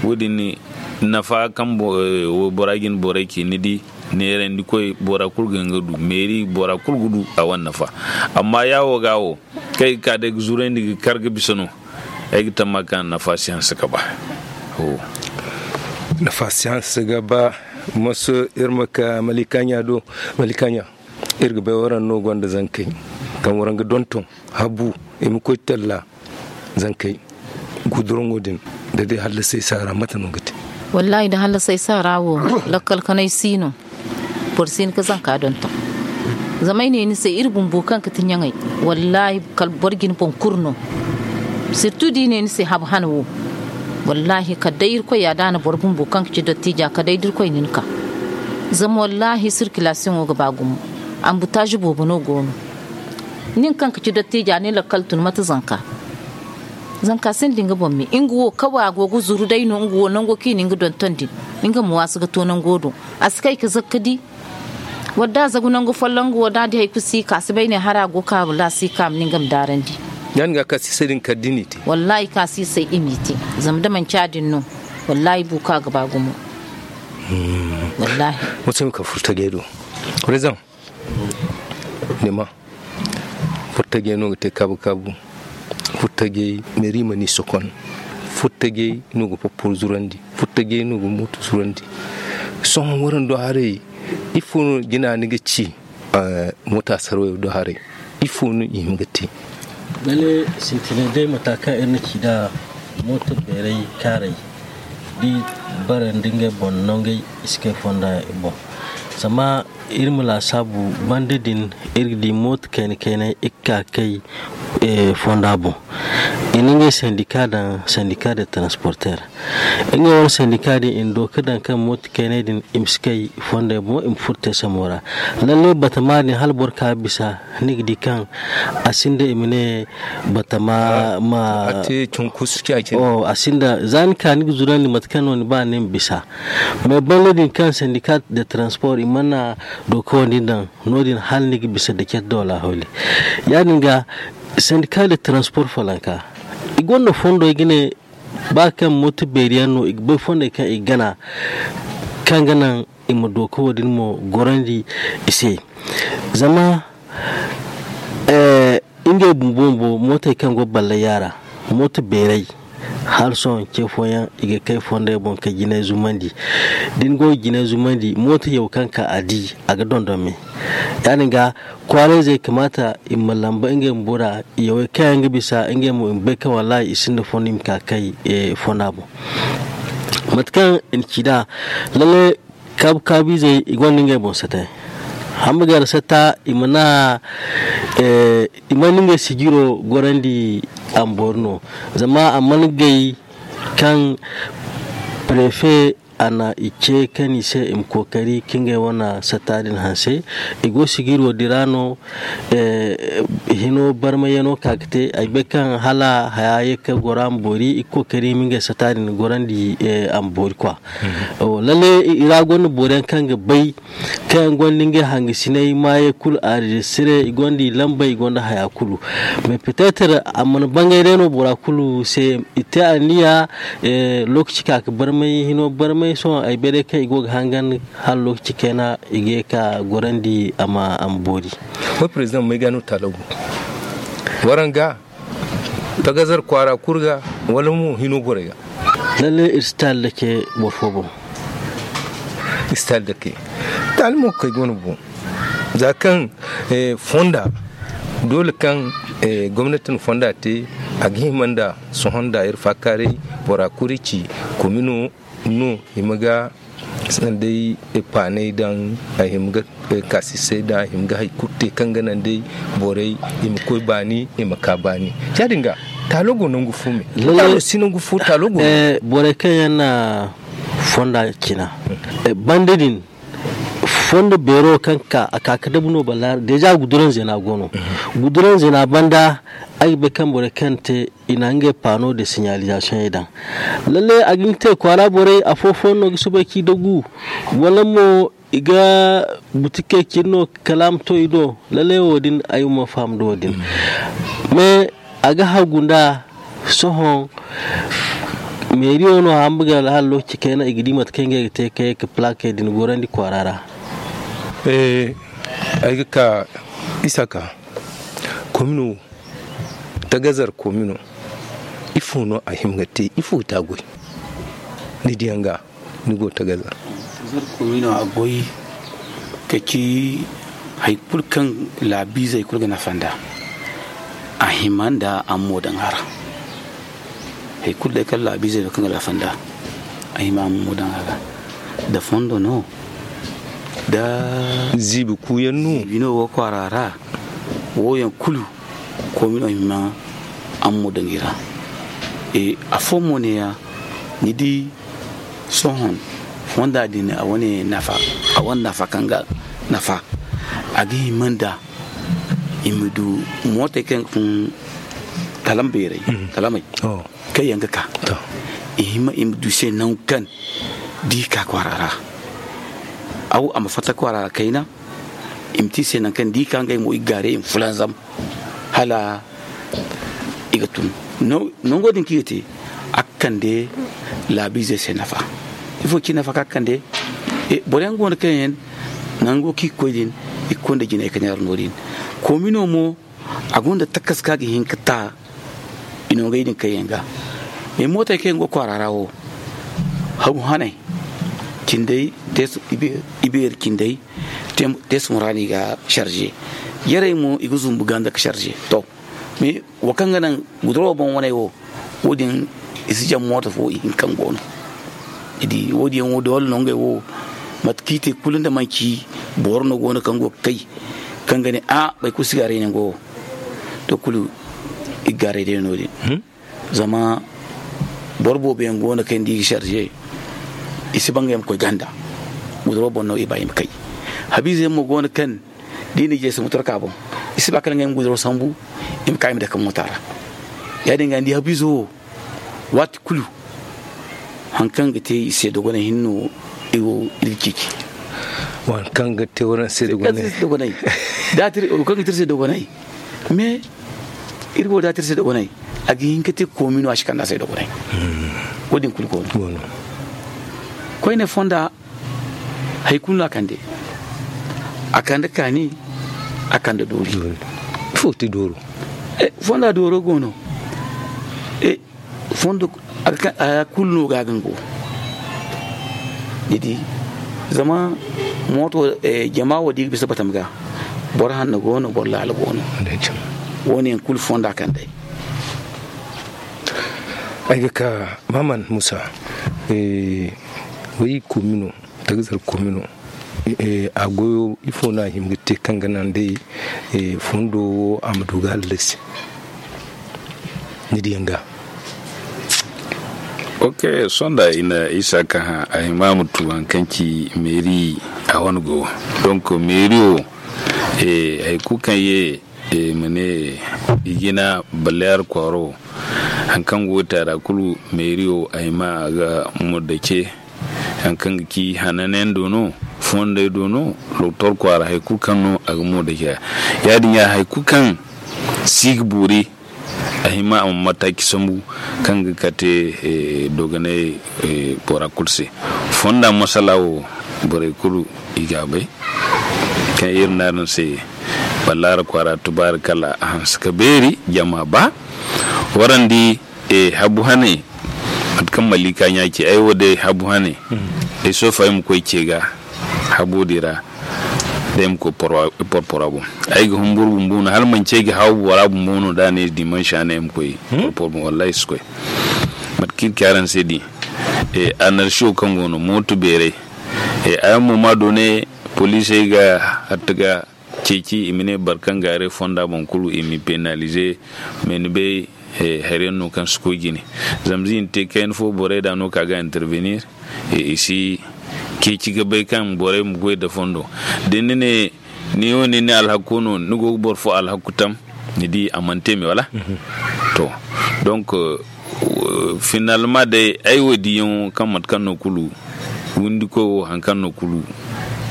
Wo- din nafa kaŋ waybora ga ni borey ci ni di neerandi koy bora kulu ga hin ga du meeri bora kulu ga du a wane nafa. Amma yaawo ga wo kaŋ i ga ka day ga zurandi ga kar ga bisa no ay ga tamma kaŋ nafa si hanse ga ba. Nafa si hanse ga ba. Maso iri ma ka malikaɲa do. Malikaɲa, iri ga bay waraŋ no gonda zankey kaŋ waraŋ ga donton habu i ma koy talla. Zankey guduraŋo din da day hallasay saara mate no ga te? Wallaahi da hallasay saara wo lakkal kanay si no. Boro si hin ga zanka donton zama ay ne ni se iri bumbo kaŋ ga ti ɲaŋey. Wallaahi kala boro ga ni boŋ kuru no. Sirtu da i ne ni se habu hana wo. Wallaahi kala day irkoy ya da a na boro bumbo kaŋ ga ci dottiija kala day da irkoy na ni ka. Zama wallaahi sirkilasiyoŋo ga ba gumo. Ambutaazi boobo no go no. Nin kaŋ ga ci dottiija ni lakkal tun mate zanka. Zanka sinda nga boŋ me nga wo kaway a go ga zuru day no nga wo nango kaŋ i na nga donton din. Nga ma waasu ga to nango do. A si kay ga zakka di. Wala da a zagu nangu folloŋ nga wo da a di hari kulu si ka a si bay ne hari a go ga ka wala a si ka a ma ne nga ma daarandi. Ya- din ga ka si se din kala da ni te. Wallaahi ka si se i m'i te. Zama da manci ya- din no. Wallaahi buuka ga ba gumo. Wallaahi. Wata ni ka furta gay do. Rezon. Ni ma furtagey no ga te kaabu kaabu. Furtagey meeri ma ni sokon. Furtagey no ga poppor zurandi. Furtagey no ga mooto zurandi. Sohõ waraŋ do haray ifo no jina ni ga ci? Moota sarwayo do haray ifo no i hima ga te? Lalle sintinay day mata kaŋ iri na ci nd'a. Mooto beeray kaaray da i barandi ngey boŋ nongey i si kay fonda boŋ. Zama iri ma laasaabu banda din iri ga di mooto kayna kaynay i ga ka ga kay fonda boŋ. I na ngey sandika daŋ sandika de transporter. Ngey wane sandika din i na dooka daŋ kaŋ mooto kaynay din i ma si kay fondey boŋ i ma furo te samo ra. Lalle batama din hala boro ka bisa ni ga di kaŋ a sinda i ma ne batama ma a te cunkusu. A sinda za ni ka ni ga zurandi mate kaŋ no ni ba ni ma bisa. Mais banda din kaŋ sandika de transport i mana dooka wandi daŋ no- din hala ni ga bisa da care da wala hawli. Ya- din ga sandika de transport falanka i gonda fondo i ga ne ba kaŋ mooto beeri yaŋ no i ga bay fondey kaŋ i ga gana kaŋ ga naŋ i ma dooka wo- din mo gorandi i se. Zama ngey bumbo bumbo mootey kaŋ go ballay yaŋ ra mooto beeray hala sohõ ce fooyaŋ i ga kay fondey boŋ ka jinay zumandi. Da ni go ga jinay zumandi mooto yaw kaŋ ka a di a ga dondon me. Ya- din ga kwaarayzey kamaata i ma lamba ngey bumbo ra yawey kaŋ yaŋ ga bisa ngey mo i ma bay kaŋ wallaahi i sinda fondo i ma ka kay fonda boŋ. Mate kaŋ i na ci nd'a lalle kaabu kaabu izey i gonda ngey boŋ sata. Hamba gar sata i mana i mana ngey sijiro gorandi a ma boori no. Zama a mana gay kaŋ prefe a na i ce kaŋ i se i ma kookari ka ngey wane sata din hanse. I go sijiro din ra no hino barmayano ka ga te ay bay kaŋ hala haya ye ka goro a ma boori i ga kookari i ma ngey sata din gorandi a ma boori kwa. Lalle i ra gonda boro yaŋ kaŋ ga bay kaŋ yaŋ gonda ngey hangasinay maayey kulu a registre i gonda i lambey i gonda haya kulu. Mais peut-être a mana bangay day no bora kulu se i te anniya. Lokaci ka ga barmay hino barmay sohõ ay bay day kaŋ i go ga hangan hala lokaci kayna i ga ye ka gorandi a ma boori. Wai président may ga no taalo go waraŋ ga tagazar kwaara kulu ga wala mo hino borey ga? Lalle iri si taali dake boro fo boŋ. Iri si taali dake taali mo ga kay go no boŋ. Za kaŋ fonda doole kaŋ gomnati na fonda te a ga hima nda sohõ nda iri faakaaray bora kulu ci komino no hima ga day paanay daŋ a hima ga kaasisay daŋ a hima ga hari kulu te kaŋ ga naŋ day borey i ma koy baani i ma ka baani. Ya- din ga taalo go nangu fo me? Taalo si nangu fo taalo go. Borey kaŋ yaŋ na fonda cina banda din Fondo beero kaŋ ka a ka ka dabu no balla deja guduran zena go no. Guduran zena banda ay ga bay kaŋ borey kaŋ te i na ngey pano de signalisation yaŋ daŋ. Lalle a ga hin te kwaara borey afo fo no ga soobay k'i dagu, wala mo i ga butikey cine no kala a ma to i do. Lalle wo- din ay ma faham da wo- din. Mais a ga hagu nda sohõ meeriyo no hamba ga hala lokaci kayna i ga di mate kaŋ ngey ga te ka ye ka plakey din gorandi kwaara ra. Eh, ay ga ka isa ka komino tagazar komino ifo no a hima ga te ifo ga te a goy? Ni diyaŋ ga ni go tagazar. Tagazar komino a goy ka ci hari kulu kaŋ laabiizey kulu ga nafa nd'a a hima nd'a a ma mo daŋ a ra. Hari kulu day kaŋ laabiizey no kaŋ ga nafa nd'a a hima a ma mo daŋ a ra. Da fondo no da ziibi kuuyaŋ no ziibi no wo kwaara ra. Wo yaŋ kulu komino hima a ma mo daŋ i ra. Afo mo ne ya ni di sohõ fonda din a wane nafa a wane nafa kaŋ ga nafa a ga hima nda i ma du mootey kaŋ ga fun talam beeray talamey kaŋ yaŋ ga ka i hima i ma du se nangu kaŋ da i ka kwaara ra. Aw a ma fatta kwaara ra kayna i ma te i se nangu kaŋ da i ka ngey mo i ga gaaray i ma fulanzam hala i ga tun. Nango din kaŋ i ga te a ga kande laabiizey se nafa. Ifo ci nafa kaŋ a ga kande boro yaŋ go no kaŋ yaŋ nango kaŋ i ga koy din i ga konda jinay ka neera no- din. Komino mo a gonda takas kaŋ a ga hin ka ta i nongey din kaŋ yaŋ ga. Mais mootey kaŋ yaŋ go kwaara ra wo habu haney cindey ibeeri cindey teesu muraani ga charge. Yarey mo i ga zumbu ganda ga charge to. Mais wo kaŋ ga naŋ guduro boŋ waney wo wo- din i si jaŋ mooto fo i hinka kaŋ go no. Ni di wo- din yaŋ wo doole no ngey wo mate kaŋ i te kulu nda manci boro no go no kaŋ go ga kay kaŋ ga ne a boro kulu si gaaray nango wo. To kulu i ga gaaray day no- din zama boro boobo yaŋ go no kaŋ yaŋ da i ga charge i si ba ngey ma koy ganda. Guduro boŋ no i ba i ma kay. Habiize yaŋ mo go no kaŋ da i na jeese motorka boŋ i si ba kala ngey ma guduro sambu i ma ka i ma dake moota ra. Ya- din ga ni di habiizo wo waati kulu hari kaŋ ga te i se dogonay hinne no iri wo iri ga ceeci. Hari kaŋ ga te waraŋ se dogonay da a te iri wo kaŋ ga te iri se dogonay. Mais iri wo da a te iri se dogonay a ga hin ka te koomi no a si kande a se dogonay. Wo- din kulu go no koyne fonda hari kulu no a kande. A kande kaani a kande doori. Ifo ti dooro? Fonda dooro go no. Fondo a kulu no ga gango ni di. Zama mooto jama wo da i ga bisa batam ga boro hanno go no boro laala go no. Wo- ne yaŋ kulu fonda kande. Ay ga ka maman musa. Way komino tagazar komino a goyo ifo no a hima ga te kaŋ ga naŋ day fondo wo a ma du ga hallasi? Ni diyaŋ ga ok. Sonda i na isa ka hã a hima ma tu haŋ kaŋ ci meeri a wane go. Donk meeri wo hari kulu kaŋ ye i ma ne i jina baleer kwaaro haŋ kaŋ go ga te a ra kulu meeri wo a hima a ga murda ce. Haŋ kaŋ ga ci hananyaŋ do no fondey do no doktor kwaara hari kulu kaŋ no a ga murda ce. Ya- din ya hari kulu kaŋ si ga boori a hima a ma mataaci sambu kaŋ ga kate dogonay bora kulu se. Fonda masala wo borey kulu i ga a bay kaŋ iri ne araŋ se balaara kwaara tubaari kala a hanse ka beeri jama ba warandi habu hane. Mate kaŋ maliika ɲa ci ay wo day habu hane ay sofa ay ma koy ce ga habo din ra. Day ma koy porpora boŋ ay ga humburu bumbo no hala manci ay ga haw bora bumbo no da ne dimanche hane ay ma koy porpora boŋ wallahi si koy. Mate kaŋ iri ci araŋ se din anarsiyo kaŋ go no mooto beeray. Araŋ mo ma doone poliisey ga hatta ga ceeci i ma ne boro kaŋ ga haray fonda boŋ kulu i m'i penalize. Mais ni bay hari yaŋ no kaŋ si koy jine. Zama z'i na te kayna fo borey da no ka ga intervenir i si ceeci ga bay kaŋ borey ma goy da fondo. Da ni ne ni wo ni ne alhakku no, ni go ga boro fo alhakku tam, ni di a mana te me wala? To, donc, finalma day ay wo diyaŋo kaŋ mate kaŋ no kulu windi koy wo haŋ kaŋ no kulu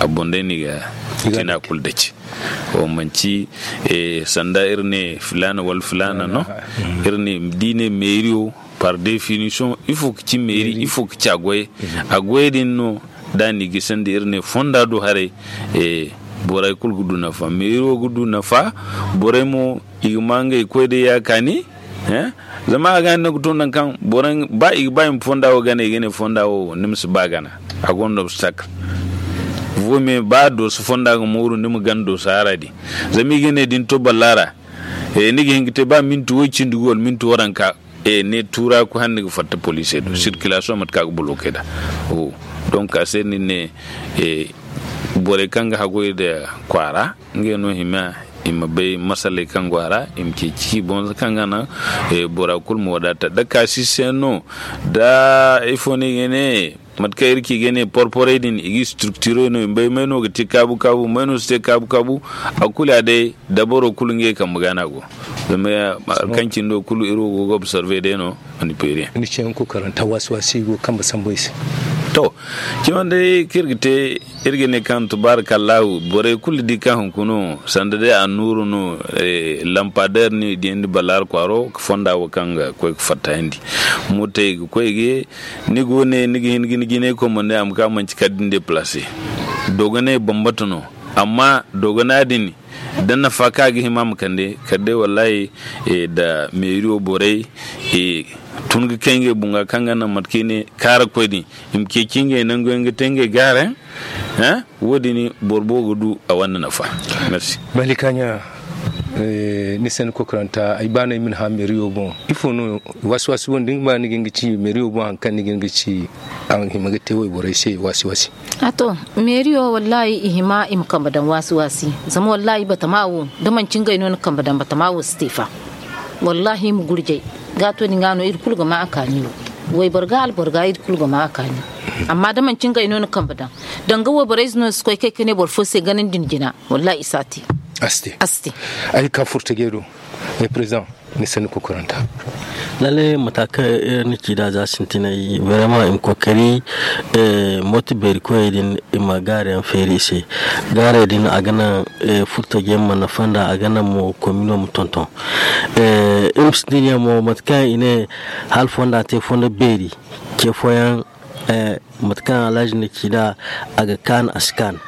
a boŋ day ni ga tina kulu daci. Wo manci sanda iri ne filaana wala filaana no. Iri ne da i ne meeriyo par definition ifo ga ci meeri ifo ga ci a goyey. A goyey din no da ni ga sanda iri ne fonda do haray. Borey kulu ga du nafa meeriyo ga du nafa. Borey mo i ga ma ngey koy day ya kaani. Zama a ga ni no ga to nangu kaŋ ba i ga ba i ma fonda wo gana i ga ne fonda wo ni ma si ba gana. A gonda obstacle. Vo me ba dooso fonda ga mooru ni ma gana dooso hara din. Zama i ga ne da ni to balla ra ni ga hin ga te ba minti way cindi go wala minti waranka. Ne tuura ku hande ga fatta poliisey do circulation mate kaŋ a ga bolokey da. Donc a se ni ne borey kaŋ ga hagoy nda kwaara ngey no hima i ma bay masaley kaŋ go a ra i ma ceeci bonza kaŋ ga naŋ bora kulu ma wadaata da kaasi se no. Da ifo no i ga ne mate kaŋ iri ci ga ne porporey din i ga structurey no i ma bay may no ga te kaabu kaabu may no si te kaabu kaabu. A kulu ya day dabaro kulu ngey kambe ga no a go. Zama kaŋ cindo kulu iri wo go ga observer day no. Ni ci yaŋ kokaranta waasi waasi go kambe sambu i se. To, cimandey kaŋ iri ga te iri ga ne kaŋ tubaarakallahu borey kulu di kaŋ hunkuna sanda day annuuru no. Lampadeer no i diyandi balaari kwaaro ga fonda wo kaŋ ga koy ga fattayandi. Mootey ga koy ga ye ni go ne ni ga hin ga ni jinay komandey a ma ka manci kala da ni deplace. Dogonay bambata no. Amma dogona din da nafa kaŋ a ga hima a ma kande kala day wallahi da meeriyo borey tun ga kay ngey boŋ ga kaŋ ga naŋ mate kaŋ i ne kaara koy din i ma ceeci ngey nangu yaŋ ga te ngey gaara yaŋ. Wo- din boro boobo ga du a wane nafa. Merci. Bali kaaɲa. Ni sanni kokoranta ay ba no ay ma ni hã meeriyo boŋ ifo no waasi waasi boŋ da ni ga ba ni ga hin ga ci meeriyo boŋ hari kaŋ ni ga hin ga ci a hima ga te wayborey se waasi waasi. A to meeriyo wallaahi i hima i ma kambe daŋ waasi waasi. Zama wallaahi batama wo da manci ngey no ni kambe daŋ batama wo si te fa. Wallaahi i ma gurjay ga to din ga no iri kulu ga ma a kaani no. Wayboro ga alboro ga iri kulu ga ma a kaani. Amma da manci ngey no ni kambe daŋ danga wayborey ize no si koy kay ka ne boro fo se ganandi ni jina. Wallaahi i si a te. A si te. Ay ga ka furta gay do. Président ni sanni kokoranta. Lalle mata kaŋ iri na ci nd'a za sintinay vraiment i ma kookari. Mooto beeri koyey din i ma gaara yaŋ feeri i se. Gaarey din a ga naŋ furtaje ma nafa nd'a a ga naŋ mo komino ma tonton. Iri ma sintin yaŋ mo mate kaŋ i ne hala fonda te fondo beeri ce fooyaŋ. Mate kaŋ alhaji na ci nd'a a ga kaan a si kaan.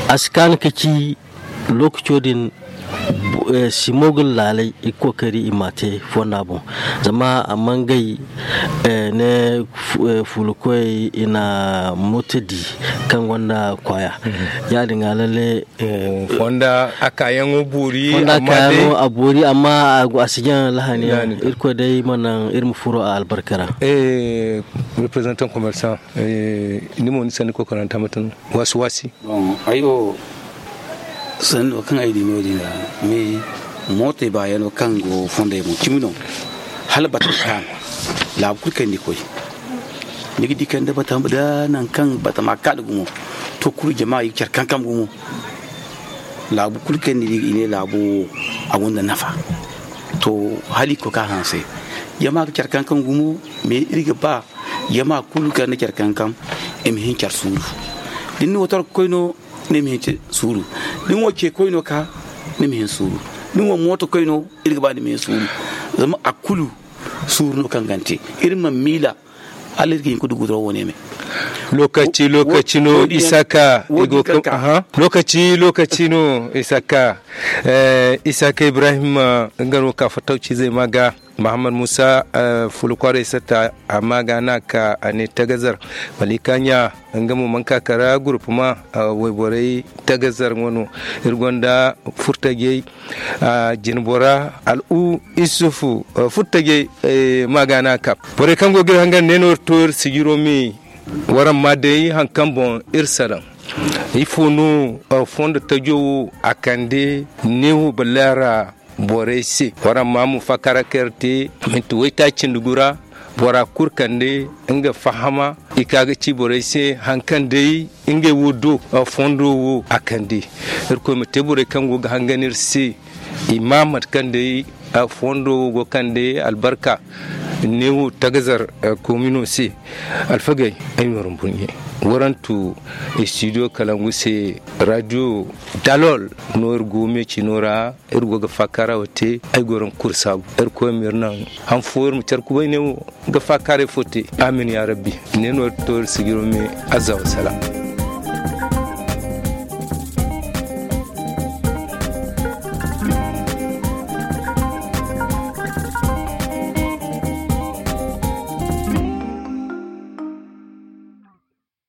A si kaan ka ci lookaco din simo ga laalay i ga kookari i m'a te fonda boŋ. Zama a mangay ne fuulakoyey i na moto di kaŋ gonda kwaaya. Ya- din ga lalle fonda a kaayaŋo boori fonda a amma kaayaŋo day a boori amma a go a si jaŋ lahani yaŋ. Lahani kaŋ irkoy day ma naŋ iri ma furo a albarka ra. Representant commerçant ni mo ni sanni kokoranta mate no waasi waasi. Bon ay wo sanno kaŋ ay di no- din ra mais mootey baayano kaŋ go fondey boŋ cimi no. Hala batama kaanu laabu kulu kaŋ ni koy ni ga di kande batama da nangu kaŋ batama kaanu gumo. To kulu jama i ga care kankam gumo. Laabu kulu kaŋ ni di i ne laabo wo a gonda nafa. To hala i ga koy ka hanse jama ga care kankam gumo. Mais iri ga ba jama kulu kaŋ na care kankam i ma hin care suuru. Da ni wo torko koy no ni ma hin suuru. Da ni wo ce koy no ka ni ma hin suuru. Da ni wo mooto koy no iri ga ba ni ma hin suuru. Zama a kulu suuru no kaŋ ga ni te iri ma miila. Hala iri ga hin ka du guduraw wane me. Lokaci lokaci no isaka i go kaŋ aha lokaci lokaci no isaka. Isaka ibrahim nga no ka fattawcizey ma ga mahammad musa fulakwaaray satta a ma ga no a ka a ne tagazar. Malika ɲa nga mo mana ka kara gurupuma wayborey tagazar nga no. Iri gonda furtajey jinbora al'u isufu furtajey ma ga no a ka borey kaŋ go ga iri hangan ne no iri to iri sijiro me. Waraŋ ma day hari kaŋ boŋ iri salaŋ ifo no fondo tajo wo a kande neewo balaara borey se waraŋ ma mo fakara kaŋ iri te minti waytaaci nda gura bora kulu kande nga fahama. I ka ga ci borey se haŋ kaŋ day ngey wo do fondo wo a kande. Irkoy ma te borey kaŋ go ga hangan iri se i ma mate kaŋ day fondo wo go kande albarka. Ne wo tagazar komino se. Alfagey, ay ma waraŋ burɲe. Warantu studio kalangu se. Radio dalol no iri go me cino ra. Iri go ga faakara wo te. Ay go raŋ kulu saabu. Irkoy ma iri naŋ han fo iri ma care kubay ne wo ga faakara fo te. Amin ya rabbi. Ne no iri to iri sijiro me. Azza wa salam.